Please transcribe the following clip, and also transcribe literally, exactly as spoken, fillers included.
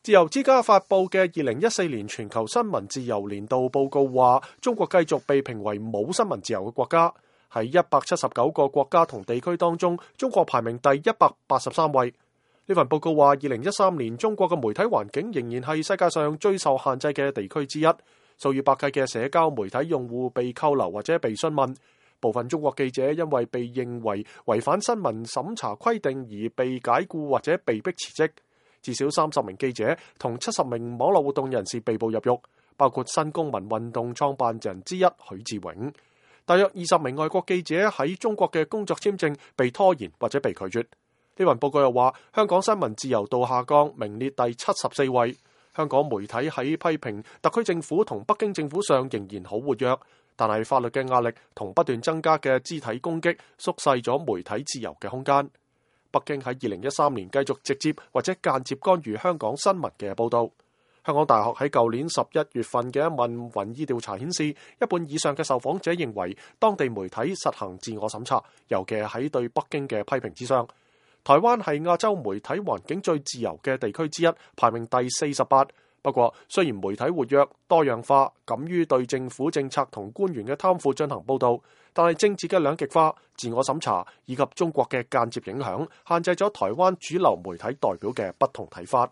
自由之家發佈嘅二零一四年全球新聞自由年度報告話，中國繼續被評為冇新聞自由嘅國家。喺一百七十九個國家同地區當中，中國排名第一百八十三位。呢份報告話，二零一三年中國嘅媒體環境仍然係世界上最受限制嘅地區之一，數以百計嘅社交媒體用戶被扣留或者被詢問。部分中國記者因為被認為違反新聞審查規定而被解僱或者被迫辭職。至少三十名記者同七十名網絡活動人士被捕入獄，包括新公民運動創辦人之一許志永。大約二十名外國記者喺中國嘅工作簽證被拖延或者被拒絕。呢份報告又話，香港新聞自由度下降，名列第七十四位。香港媒體喺批評特區政府同北京政府上仍然好活躍，但係法律嘅壓力同不斷增加嘅肢體攻擊縮細咗媒體自由嘅空間。北京喺二零一三年繼續直接或者間接干預香港新聞嘅報導。香港大學喺舊年十一月份嘅一份民意調查顯示，一半以上嘅受訪者認為當地媒體實行自我審查，尤其係喺對北京嘅批評之上。台灣係亞洲媒體環境最自由嘅地區之一，排名第四十八。不過，雖然媒體活躍、多樣化，敢於對政府政策同官員嘅貪腐進行報導，但係政治嘅兩極化、自我審查以及中國嘅間接影響，限制咗台灣主流媒體代表嘅不同睇法。